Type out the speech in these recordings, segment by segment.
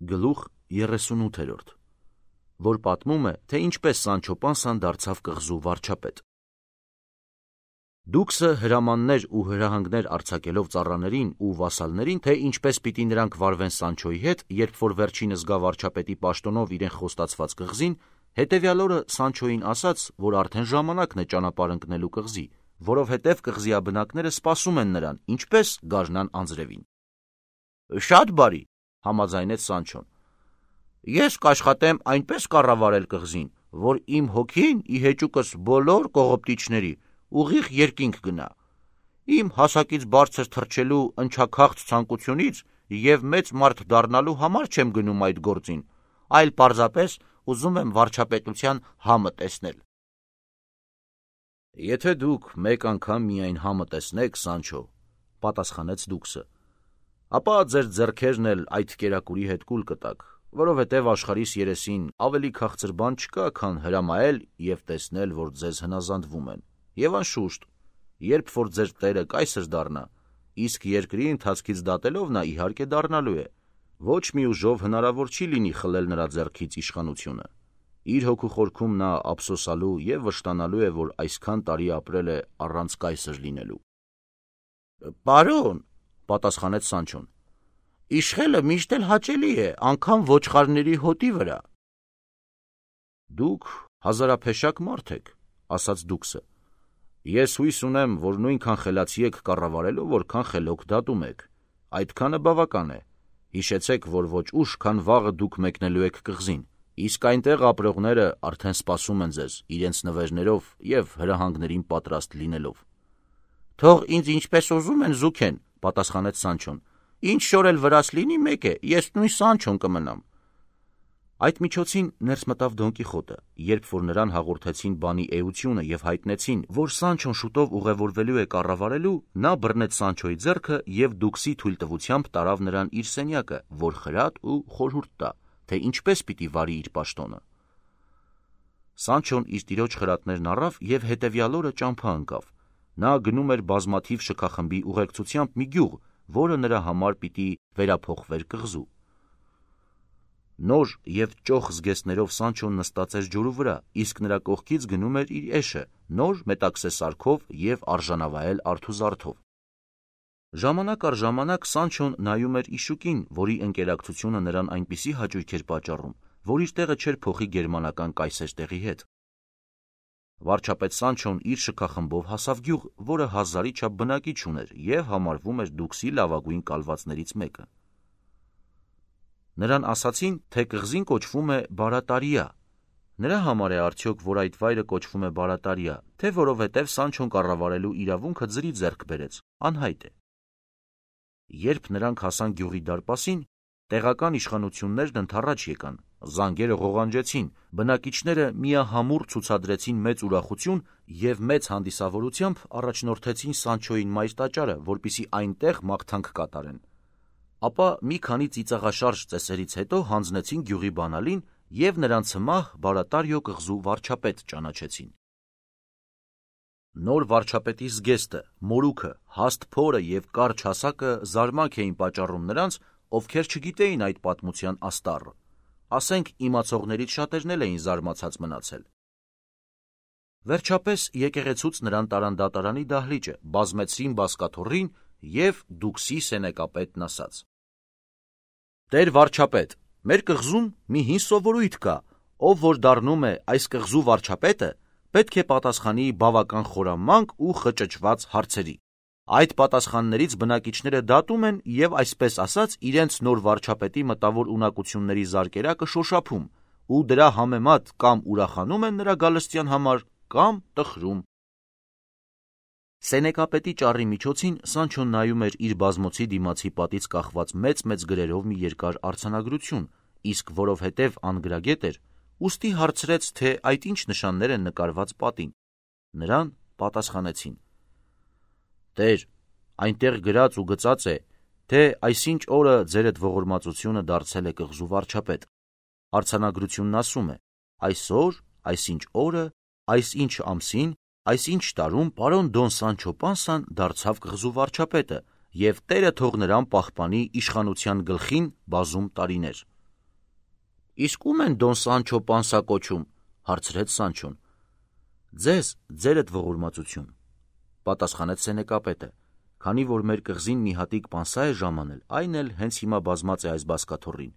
Գլուխ 38, որ պատմում է, թե ինչպես Սանչո Պանսան դարձավ կղզու վարչապետ։ Դուքսը հրամաններ ու հրահանգներ արձակելով ծառաներին ու վասալներին, թե ինչպես պիտի նրանք վարվեն Սանչոյի հետ, երբ որ վերջինը զգա վարչապետի պաշտոնով իրեն խոստացված կղզին, հետևյալ օրը Սանչոյին ասաց, որ արդեն ժամանակն է ճանապարհ ընկնելու կղզի, որովհետև կղզիաբնակները սպասում են նրան, ինչպես գարնան անձրևին։ Շատ բարի, համաձայնեց Սանչոն։ Ես կաշխատեմ այնպես կառավարել կղզին, որ իմ հոգին ի հեճուկս բոլոր կողոպտիչների ուղիղ երկինք գնա։ Իմ հասակից բարձր թռչելու ընչաքաղց ցանկությունից եւ մեծ մարդ դառնալու համար չեմ գնում այդ գործին, այլ պարզապես ուզում եմ վարչապետության համը տեսնել։ Եթե դուք մեկ անգամ միայն համը տեսնեք, Սանչո, պատասխանեց Դուքսը, ապա ձեր ձեռքերն էլ այդ կերակուրի հետ կուլ կտաք, որովհետև աշխարհիս երեսին ավելի քաղցր բան չկա, քան հրամայել եւ տեսնել, որ ձեզ հնազանդվում են։ Եվ անշուշտ, երբ որ ձեր տերը կայսր դառնա, իսկ երկրի ընթացքից դատելով նա իհարկե դառնալու է, ոչ մի ուժով հնարավոր չի լինի խլել նրա ձեռքից իշխանությունը։ Իր հոգու խորքում նա ափսոսալու եւ վշտանալու է, որ այսքան տարի ապրել է առանց կայսր լինելու։ Պարոն, պատասխանեց Սանչոն, իշխելը միշտ էլ հաճելի է, անգամ ոչխարների հոտի վրա։ Դուք հազարափեշակ մարդ եք, ասաց Դուքսը։ Ես հույս ունեմ, որ նույնքան խելացի եք կառավարելու, որքան խելոք դատում եք։ Այդքանը բավական է։ Հիշեցեք, որ ոչ ուշ, քան վաղը դուք մեկնելու եք կղզին, իսկ այնտեղ ապրողները արդեն սպասում են ձեզ, իրենց նվերներով եւ հրահանգներին պատրաստ լինելով։ Թող ինձ ինչպես ուզում են զուգեն, պատասխանեց Սանչոն։ Ինչ շոր էլ վրաս լինի մեկ է, ես նույն Սանչոն կմնամ։ Այդ միջոցին ներս մտավ Դոն Կիխոտը, երբ որ նրան հաղորդեցին բանի էությունը եւ հայտնեցին, որ Սանչոն շուտով ուղևորվելու է կառավարելու, նա բռնեց Սանչոյի ձեռքը եւ Դուքսի թույլտվությամբ տարավ նրան իր սենյակը, որ խրատ ու խորհուրդ տա, թե ինչպես պիտի վարի իր պաշտոնը։ Սանչոն իր տիրոջ խրատներն առավ եւ հետեւյալ օրը ճամփա ընկավ։ Նա գնում էր բազմաթիվ շքախմբի ուղեկցությամբ մի գյուղ, որը նրա համար պիտի վերափոխվեր կղզու։ Նոր եւ ճոխ զգեստներով Սանչոն նստած էր ջուրու վրա, իսկ նրա կողքից գնում էր իր էշը, նոր մետաքսե սարքով եւ արժանավայել արթուզարդով։ Ժամանակ առ ժամանակ Սանչոն նայում էր Իշուկին, որի ընկերակցությունը նրան այնպիսի հաճույք էր պատճառում, որ իր տեղը չէր փոխի գերմանական կայսեր տեղի հետ։ Վարչապետ Սանչոն իր շքախմբով հասավ գյուղ, որը 1000-ի չափ բնակիչ ուներ եւ համարվում էր Դուքսի լավագույն կալվածներից մեկը։ Նրան ասացին, թե կղզին կոչվում է Բարատարիա։ Նրա համար է արդյոք, որ այդ վայրը կոչվում է Բարատարիա, թե որովհետև Սանչոն կառավարելու իրավունքը ձրի ձեռք բերեց, անհայտ է։ Երբ նրանք հասան գյուղի դարպասին, տեղական իշխանություններն ընդառաջ եկան, զանգերը ղողանջեցին, բնակիչները միահամուռ ցուցադրեցին մեծ ուրախություն եւ մեծ հանդիսավորությամբ առաջնորդեցին Սանչոյին մայր տաճարը, որպեսզի այնտեղ մաղթանք կատարեն։ Ապա մի քանի ծիծաղաշարժ ծեսերից հետո հանձնեցին գյուղի բանալին եւ նրանց հմահ Բարատարիո կղզու վարչապետ ճանաչեցին։ Նոր վարչապետի զգեստը, մորուքը, հաստ փորը եւ կարճ հասակը զարմանք էին պատճառում նրանց, ովքեր չգիտեին այդ պատմության աստառը։ Ասենք իմացողներից շատերն էլ էին զարմացած մնացել։ Վերջապես եկեղեցուց նրան տարան դատարանի դահլիճը, բազմեցրին բազկաթոռին եւ Դուքսի սենեկապետն ասաց. Տեր վարչապետ, մեր կղզում մի հին սովորույթ կա, ով որ դառնում է այս կղզու վարչապետը, պետք է պատասխանի բավական խորամանկ ու խճճված հարցերի։ Այդ պատասխաններից բնակիչները դատում են եւ այսպես ասած իրենց նոր վարչապետի մտավոր ունակությունների զարկերակը շոշափում ու դրա համեմատ կամ ուրախանում են նրա գալստյան համար կամ տխրում։ Սենեկապետի ճառի միջոցին Սանչոն նայում էր իր բազմոցի դիմացի պատից կախված մեծ գրերով մի երկար արձանագրություն, իսկ որովհետև անգրագետ էր, ուստի հարցրեց, թե այդ ինչ նշաններ են նկարված պատին։ Նրան պատասխանեցին. Տեր, այնտեղ գրած ու գծած է, թե այսինչ օրը ձերդ ողորմածությունը դարձել է կղզու վարչապետ։ Արձանագրությունն ասում է. այսօր, այսինչ օրը, այսինչ ամսին, այսինչ տարում պարոն Դոն Սանչո Պանսան դարձավ կղզու վարչապետը եւ Տերը թող նրան պահպանի իշխանության գլխին բազում տարիներ։ Իսկ ում են Դոն Սանչո Պանսա կոչում, հարցրեց Սանչոն։ Ձեզ, ձերդ ողորմածություն, պատասխանեց սենեկապետը, քանի որ մեր կղզին մի հատիկ պանսա է ժամանել, այն էլ հենց հիմա բազմած է այս բազկաթոռին։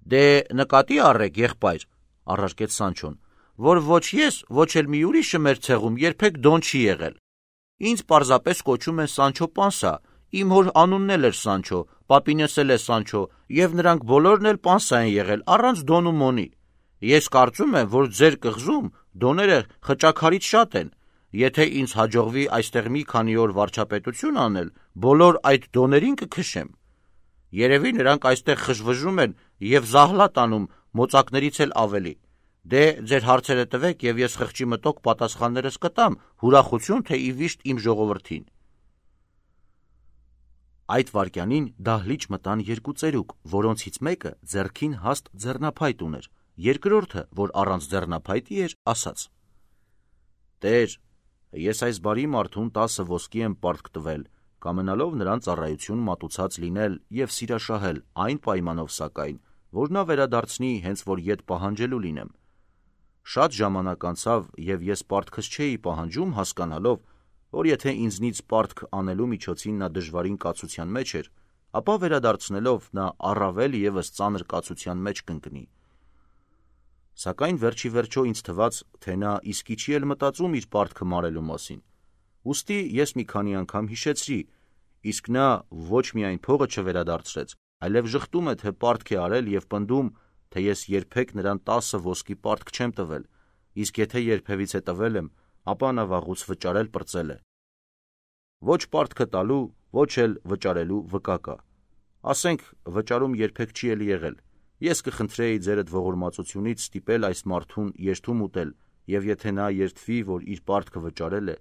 Դե նկատի առեք, եղբայր, առարկեց Սանչոն, որ ոչ ես, ոչ էլ մի ուրիշը մեր ցեղում երբեք Դոն չի եղել։ Ինձ պարզապես կոչում են Սանչո Պանսա, իմ հոր անունն էլ էր Սանչո, պապինս էլ է Սանչո, եւ նրանք բոլորն էլ Պանսա են եղել, առանց Դոն ու Մոնի։ Ես կարծում եմ, որ ձեր կղզում դոները խճաքարից շատ են։ Եթե ինձ հաջողվի այստեղ մի քանի օր վարչապետություն անել, բոլոր այդ դոներին կքշեմ։ Երևի նրանք այստեղ խժվժում են եւ զահլատ անում մոծակներից էլ ավելի։ Դե ձեր հարցերը տվեք եւ ես խղճի մտոք պատասխաններս կտամ, հուրախություն թե ի վիշտ իմ ժողովրդին։ Այդ վայրկյանին դահլիճ մտան երկու ծերուկ, որոնցից մեկը ձեռքին հաստ ձեռնափայտ ուներ, երկրորդը, որ առանց ձեռնափայտի էր, ասաց. Տեր, ես այս բարի մարդուն 10 ոսկի եմ պարտք տվել, կամենալով նրան ծառայություն մատուցած լինել եւ սիրաշահել, այն պայմանով սակայն, որ նա վերադարձնի հենց որ ետ պահանջելու լինեմ։ Շատ ժամանակ անցավ եւ ես պարտքս չէի պահանջում, հասկանալով, որ եթե ինձնից պարտք անելու միջոցին նա դժվարին կացության մեջ էր, ապա վերադարձնելով նա առավել եւս ծանր կացության մեջ կընկնի։ Սակայն վերջի վերջո ինձ թվաց, թե նա իսկի չի էլ մտածում իր պարտքը մարելու մասին։ Ուստի ես մի քանի անգամ հիշեցրի, իսկ նա ոչ միայն փողը չվերադարձրեց, այլև ժխտում է, թե պարտք է արել եւ պնդում, թե ես երբեք նրան 10 ոսկի պարտք չեմ տվել, իսկ եթե երբևիցե տվել եմ, ապա նա վաղուց վճարել պրծել է։ Ոչ պարտքը տալու, ոչ էլ վճարելու վկա կա։ Ասենք, վճարում երբեք չի էլ եղել։ Ես կխնդրեի ձերդ ողորմածությունից ստիպել այս մարդուն երթում ուտել, եւ եթե նա երդվի, որ իր պարտքը վճարել է,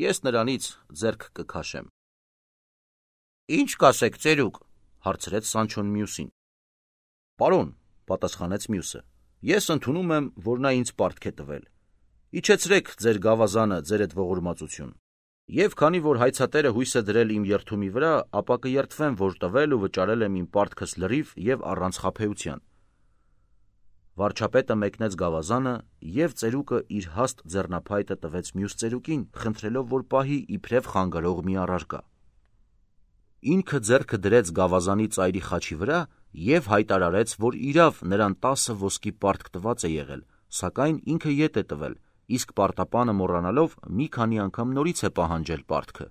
ես նրանից ձեռք կքաշեմ։ Ինչ կասեք, ծերուկ, հարցրեց Սանչոն մյուսին։ Պարոն, պատասխանեց մյուսը, ես ընդունում եմ, որ նա ինձ պարտք է տվել։ Իջեցրեք ձեր գավազանը, ձերդ ողորմածություն։ Եվ քանի որ հայցատերը հույս է դրել իմ երթումի վրա, ապա կերթվեմ, որ տվել ու վճարել եմ իմ պարտքս լրիվ եւ առանց խաբեության։ Վարչապետը մեկնեց գավազանը եւ ծերուկը իր հաստ ձեռնափայտը տվեց մյուս ծերուկին, խնդրելով, որ պահի իբրև խանգարող մի առարկա։ Ինքը ձեռքը դրեց գավազանի ծայրի խաչի վրա եւ հայտարարեց, որ իրավ նրան 10 ոսկի պարտք տված է եղել, սակայն ինքը ետ է տվել, իսկ պարտապանը մոռանալով մի քանի անգամ նորից է պահանջել պարտքը։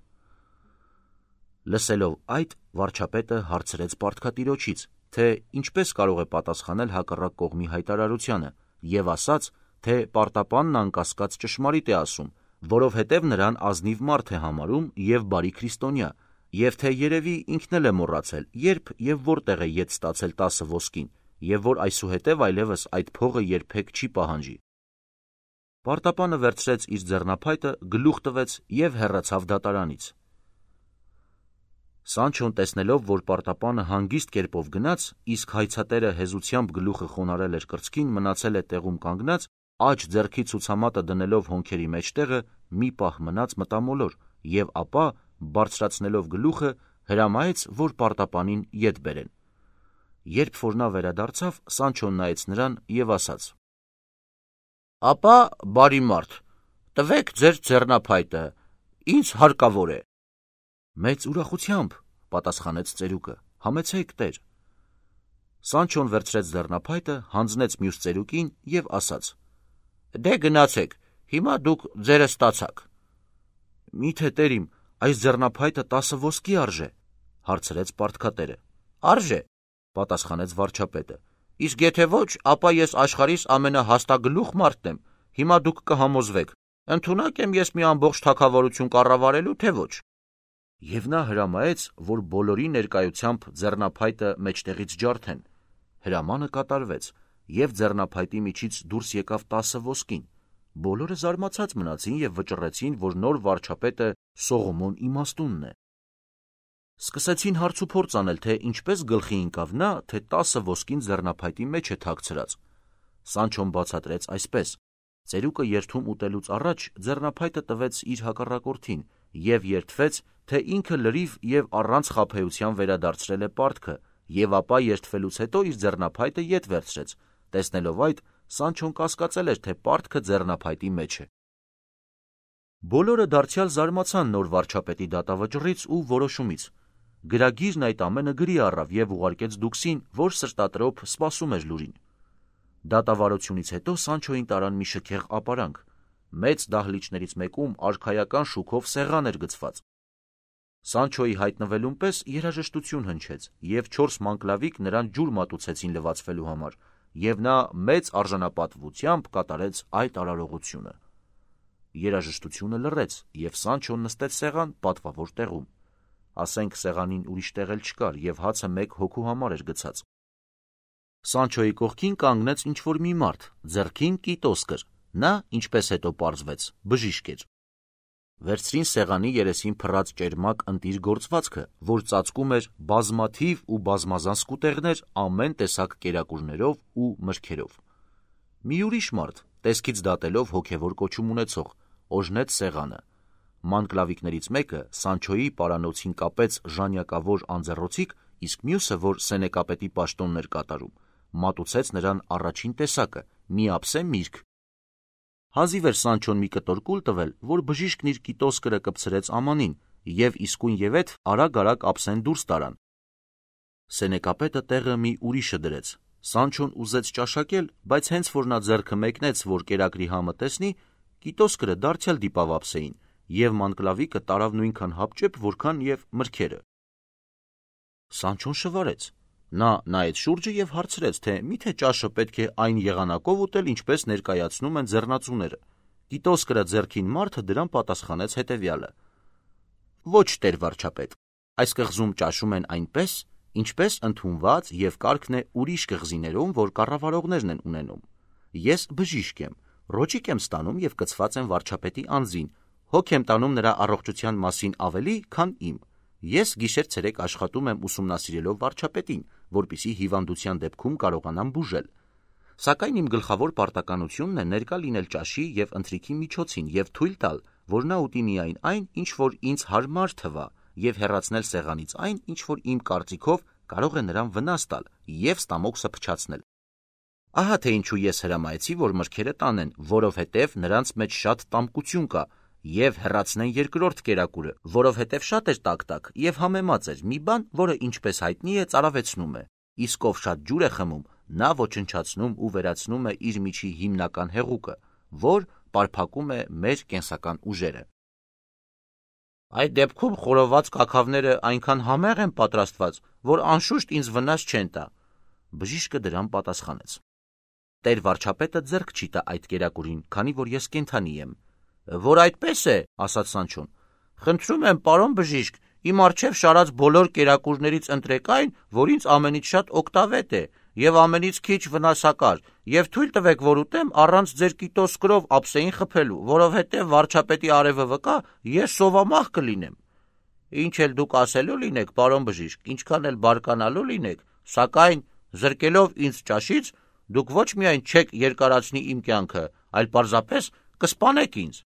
Լսելով այդ, վարչապետը հարցրեց պարտքատիրոջից, թե ինչպես կարող է պատասխանել հակառակ կողմի հայտարարությանը, եւ ասաց, թե պարտապանն անկասկած ճշմարիտ է ասում, որովհետև նրան ազնիվ մարդ է համարում եւ բարի քրիստոնյա, եւ թե երևի ինքն էլ է մոռացել, երբ եւ որտեղ է ետ ստացել 10 ոսկին, եւ որ այսուհետև այլևս այդ փողը երբեք չի պահանջի։ Պարտապանը վերցրեց իր ձեռնափայտը, գլուխ տվեց եւ հեռացավ դատարանից։ Սանչոն տեսնելով, որ պարտապանը հանգիստ կերպով գնաց, իսկ հայցատերը հեզությամբ գլուխը խոնարել էր կրծքին, մնացել է տեղում կանգնած, աջ ձեռքի ցուցամատը դնելով հոնքերի մեջտեղը, մի պահ մնաց մտամոլոր եւ ապա, բարձրացնելով գլուխը, հրամայեց, որ պարտապանին ետ բերեն։ Երբ որ նա վերադարձավ, Սանչոն նայեց նրան եւ ասաց. Ապա, բարի մարդ, տվեք ձեր ձեռնափայտը, ինձ հարկավոր է։ Մեծ ուրախությամբ, պատասխանեց ծերուկը, համեցեք տեր։ Սանչոն վերցրեց ձեռնափայտը, հանձնեց մյուս ծերուկին եւ ասաց. Դե գնացեք, հիմա դուք ձերը ստացաք։ Միթե տերիմ, այս ձեռնափայտը 10 ոսկի արժե, հարցրեց պարտքատերը։ Արժե, պատասխանեց վարչապետը։ Իսկ եթե ոչ, ապա ես աշխարհիս ամենահաստագլուխ մարդն եմ, հիմա դուք կհամոզվեք, ընդունակ եմ ես մի ամբողջ թագավորություն կառավարելու, թե ոչ։ Եվ նա հրամայեց, որ բոլորի ներկայությամբ ձեռնափայտը մեջտեղից ջարդեն։ Հրամանը կատարվեց, եւ ձեռնափայտի միջից դուրս եկավ 10 ոսկին։ Բոլորը զարմացած մնացին եւ վճռեցին, որ նոր վարչապետը Սողոմոն իմաստունն է։ Սկսեցին հարց ու փորձ անել, թե ինչպես գլխի ընկավ նա, թե 10 ոսկին ձեռնափայտի մեջ է թաքցրած։ Սանչոն բացատրեց այսպես. ծերուկը երթում ուտելուց առաջ ձեռնափայտը տվեց իր հակառակորդին եւ երդվեց, թե ինքը լրիվ եւ առանց խաբեության վերադարձրել է պարտքը, եւ ապա երդվելուց հետո իր ձեռնափայտը ետ վերցրեց, Տեսնելով այդ, Սանչոն կասկածել էր, թե պարտքը ձեռնափայտի մեջ է։ Բոլորը դարձյալ զարմացան նոր վարչապետի դատավճռից ու որոշումից։ Գրագիրն այդ ամենը գրի առավ և ուղարկեց Դուքսին, որ սրտատրոփ սպասում էր լուրին։ Դատավարությունից հետո Սանչոին տարան մի շքեղ ապարանք։ Մեծ դահլիճներից մեկում արքայական շուքով սեղան էր գցված։ Սանչոյի հայտնվելուն պես երաժշտություն հնչեց, և 4 մանկլավիկ նրան ջուր մատուցեցին լվացվելու համար, և նա մեծ արժանապատվությամբ կատարեց այդ արարողությունը։ Երաժշտությունը լռեց, և Սանչոն նստեց սեղան պատվավոր տեղում։ Ասենք սեղանին ուրիշ տեղ էլ չկար, և հացը մեկ հոգու համար էր գցած։ Սանչոյի կողքին կանգնեց ինչ-որ մի մարդ, ձեռքին կիտոս կր։ Նա, ինչպես հետո պարզվեց, բժիշկ էր։ Վերցրին սեղանի երեսին փռած ճերմակ ընտիր գործվածքը, որ ծածկում էր բազմաթիվ ու բազմազան սկուտեղներ ամեն տեսակ կերակուրներով ու մրգերով։ Մի ուրիշ մարդ, տեսքից դատելով հոգևոր կոչում ունեցող, օժնեց սեղանը։ Մանկլավիկներից մեկը Սանչոյի պարանոցին կապեց ժանյակավոր անձեռոցիկ, իսկ մյուսը, որ սենեկապետի պաշտոնն էր կատարում, մատուցեց նրան առաջին տեսակը՝ մի ափսե միրգ։ Հազիվ էր Սանչոն մի կտոր կուլ տվել, որ բժիշկն իր կիտոս կրը կպցրեց ամանին, և իսկույնևեթ արագ ափսեն դուրս տարան։ Սենեկապետը տեղը մի ուրիշը դրեց։ Սանչոն ուզեց ճաշակել, բայց հենց որ նա ձեռքը մեկնեց, որ կերակրի համը տեսնի, կիտոս կրը դարձյալ դիպավ ափսեին, և մանկլավիկը տարավ նույնքան հապճեպ, որքան և մրգերը։ Սանչոն շվարեց։ Նա նայեց շուրջը և հարցրեց, թե միթե ճաշը պետք է այն եղանակով ուտել, ինչպես ներկայացնում են ձեռնածուները։ Կիտոս կրը ձեռքին մարդը դրան պատասխանեց հետևյալը. «Ոչ, տեր վարչապետ, այս կղզում ճաշում են այնպես, ինչպես ընդունված և կարգն է ուրիշ կղզիներում, որ կառավարողներն են ունենում։ Ես բժիշկ եմ, ռոճիկ եմ ստանում և կցված եմ վարչապետի անձին, հոգ եմ տանում նրա առողջության մասին ավելի, քան իմ։ Ես գիշեր-ցերեկ աշխատում եմ ուսումնասիրելով վարչապետին, որպեսզի հիվանդության դեպքում կարողանամ բուժել։ Սակայն իմ գլխավոր պարտականությունն է ներկա լինել ճաշի և ընթրիքի միջոցին և թույլ տալ, որ նա ուտի միայն այն, ինչ որ ինձ հարմար թվա, և հեռացնել սեղանից այն, ինչ որ իմ կարծիքով կարող է նրան վնաս տալ և ստամոքսը փչացնել։ Ահա թե ինչու ես հրամայեցի, որ մրգերը տանեն, որովհետև նրանց մեջ շատ տամկություն կա, և հեռացնեն երկրորդ կերակուրը, որովհետև շատ էր տաք և համեմած էր, մի բան, որը ինչպես հայտնի է, ծարավեցնում է, իսկ ով շատ ջուր է խմում, նա ոչնչացնում ու վերացնում է իր միջի հիմնական հեղուկը, որ պարփակում է մեր կենսական ուժերը։ Այդ դեպքում խորոված կաքավները այնքան համեղ են պատրաստված, որ անշուշտ ինձ վնաս չեն տա։ Բժիշկը դրան պատասխանեց. Տեր վարչապետը ձեռք չի տա այդ կերակուրին, քանի որ ես կենդանի եմ։ Որ այդպես է, ասաց Սանչոն, խնդրում եմ, պարոն բժիշկ, իմ առջև շարած բոլոր կերակուրներից ընտրեք այն, որ ինձ ամենից շատ օգտավետ է և ամենից քիչ վնասակար, և թույլ տվեք, որ ուտեմ առանց ձեր կիտոս կրով ափսեին խփելու, որովհետև վարչապետի արևը վկա, ես սովամահ կլինեմ։ Ինչ էլ դուք ասելու լինեք, պարոն բժիշկ, ինչքան էլ բարկանալու լինեք, սակայն զրկելով ինձ ճաշից, դուք ոչ միայն չեք երկարացնի իմ կյանքը, այլ պարզապես կսպանեք ինձ։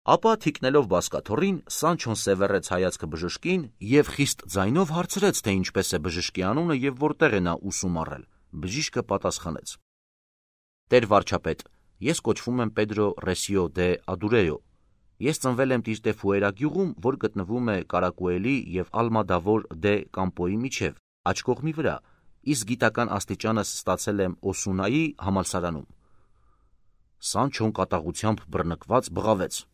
Ապա թիկնելով բազկաթոռին, Սանչոն սևեռեց հայացքը բժշկին և խիստ ձայնով հարցրեց, թե ինչպես է բժշկի անունը և որտեղ է նա ուսում առել։ Բժիշկը պատասխանեց. Տեր վարչապետ, ես կոչվում եմ Պեդրո Ռեսիո դե Ադուրեո։ Ես ծնվել եմ Տիրտեֆուերա գյուղում, որ գտնվում է Կարակուելի և Ալմադավոր դե Կամպոյի միջև, աջ կողմի վրա, իսկ գիտական աստիճանս ստացել եմ Օսունայի համալսարանում։ Սանչոն կատաղությամբ բռնկված բղավեց.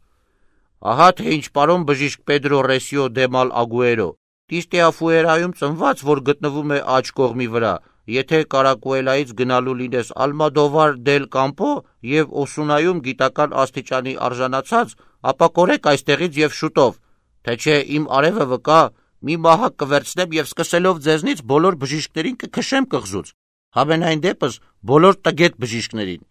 Ահա թե ինչ, պարոն բժիշկ Պեդրո Ռեսիո դե Մալ Ագուերո, Տիրտեֆուերայում ծնված, որ գտնվում է աջ կողմի վրա, եթե Կարակուելայից գնալու լինես Ալմադովար դել Կամպո և Օսունայում գիտական աստիճանի արժանացած, ապա կորեք այստեղից և շուտով, թե չէ իմ արևը վկա, մի մահակ կվերցնեմ և սկսելով ձեզնից բոլոր բժիշկներին կքշեմ կղզուց, համենայն դեպս բոլոր տգետ բժիշկներին,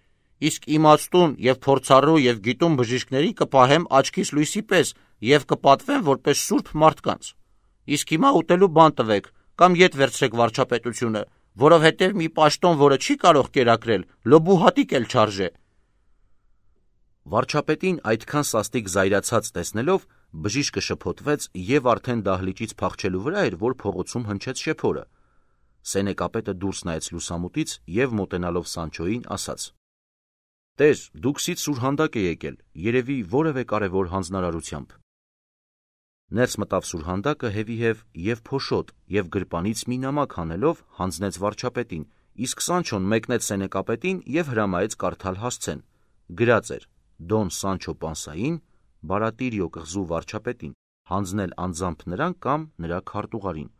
իսկ իմաստուն և փորձառու և գիտուն բժիշկներին կպահեմ աչքիս լույսի պես և կպատվեմ որպես սուրբ մարդկանց։ Իսկ հիմա ուտելու բան տվեք, կամ ետ վերցրեք վարչապետությունը, որովհետև մի պաշտոն, որը չի կարող կերակրել, լոբու հատիկ էլ չարժե։ Վարչապետին այդքան սաստիկ զայրացած տեսնելով, բժիշկը շփոթվեց և արդեն դահլիճից փախչելու վրա էր, որ փողոցում հնչեց շեփորը. Սենեկապետը դուրս նայեց լուսամուտից և մոտենալով Սանչոյին ասաց. «Տեր, դուքսից սուրհանդակ է եկել, երևի որևէ կարևոր հանձնարարությամբ»։ Ներս մտավ սուրհանդակը հևիհև և փոշոտ և գրպանից մի նամակ հանելով հանձնեց վարչապետին, իսկ Սանչոն մեկնեց սենեկապետին և հրամայեց կարդալ հասցեն։ Գրած էր. Դոն Սանչո Պանսային, Բարատիրիո կղզու վարչապետին, հանձնել անձամբ նրան կամ նրա քարտուղարին։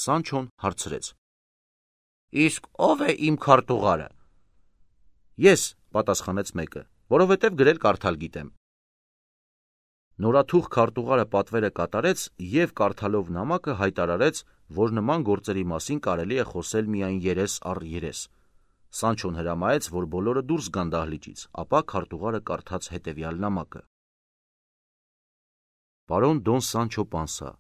Սանչոն հարցրեց. «Իսկ ո՞վ է իմ քարտուղարը»։ «Ես», պատասխանեց մեկը, «որովհետև գրել կարդալ գիտեմ»։ Նորաթուխ քարտուղարը պատվերը կատարեց և կարդալով նամակը հայտարարեց, որ նման գործերի մասին կարելի է խոսել միայն երես առ երես։ Սանչոն հրամայեց, որ բոլորը դուրս գան դահլիճից, ապա քարտուղարը կարդաց հետևյալ նամակը. «Պարոն Դոն Սանչո Պանսա,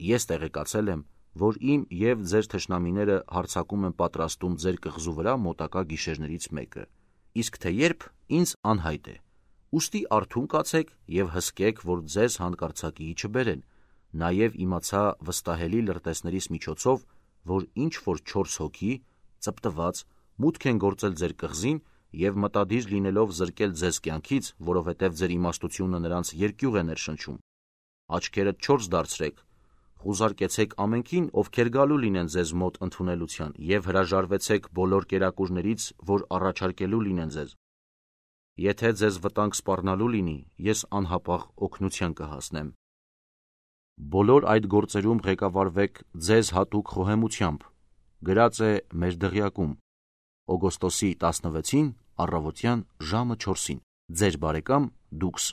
ես տեղեկացել եմ, որ իմ և ձեր թշնամիները հարձակում են պատրաստում ձեր կղզու վրա մոտակա գիշերներից մեկը, իսկ թե երբ, ինձ անհայտ է։ Ուստի արթուն կացեք և հսկեք, որ ձեզ հանկարծակիի չբերեն։ Նաև իմացա վստահելի լրտեսներիս միջոցով, որ ինչ-որ 4 հոգի, ծպտված, մուտք են գործել ձեր կղզին և մտադիր լինելով զրկել ձեզ կյանքից, որովհետև ձեր իմաստությունը նրանց երկյուղ է ներշնչում։ Աչքերդ 4 դարձրեք, խուզարկեցեք ամենքին, ովքեր գալու լինեն ձեզ մոտ ընդունելության, և հրաժարվեցեք բոլոր կերակուրներից, որ առաջարկելու լինեն ձեզ։ Եթե ձեզ վտանգ սպառնալու լինի, ես անհապաղ օգնության կհասնեմ։ Բոլոր այդ գործերում ղեկավարվեք ձեզ հատուկ խոհեմությամբ։ Գրած է մեր դղյակում, օգոստոսի 16-ին առավոտյան ժամը 4-ին։ Ձեր բարեկամ Դուքս։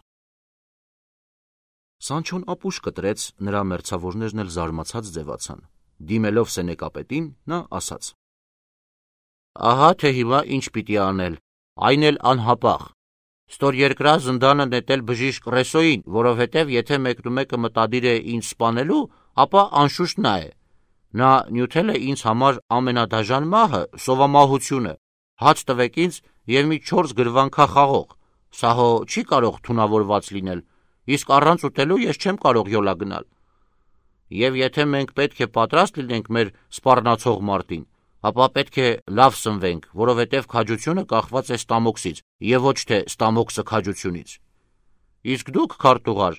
Սանչոն ապուշ կտրեց, նրա մերձավորներն էլ զարմացած ձևացան։ Դիմելով սենեկապետին, նա ասաց. «Ահա թե հիմա ինչ պիտի անել, այն էլ անհապաղ։ Ստորերկրա զնդանը նետել բժիշկ Ռեսոյին, որովհետև եթե մեկնումեկը մտադիր է ինձ սպանելու, ապա անշուշտ նա է։ Նա նյութել է ինձ համար ամենադաժան մահը, սովամահությունը։ Հաց տվեք ինձ և մի 4 գրվանքա խաղող։ Սա հո չի կարող թունավորված լինել, իսկ առանց ուտելու ես չեմ կարող յոլա գնալ։ Եվ եթե մենք պետք է պատրաստ լինենք մեր սպառնացող մարտին, ապա պետք է լավ սնվենք, որովհետև քաջությունը կախված է ստամոքսից և ոչ թե ստամոքսը քաջությունից։ Իսկ դուք, քարտուղար,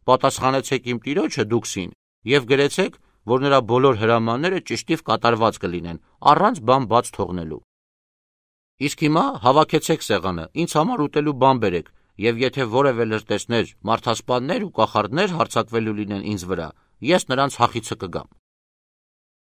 պատասխանեցեք իմ տիրոջը Դուքսին և գրեցեք, որ նրա բոլոր հրամանները ճշտիվ կատարված կլինեն, առանց բան բաց թողնելու։ Իսկ հիմա հավաքեցեք սեղանը, ինձ համար ուտելու բան բերեք, և եթե որևէ լրտեսներ, մարդասպաններ ու կախարդներ հարձակվելու լինեն ինձ վրա, ես նրանց հախիցը կգամ»։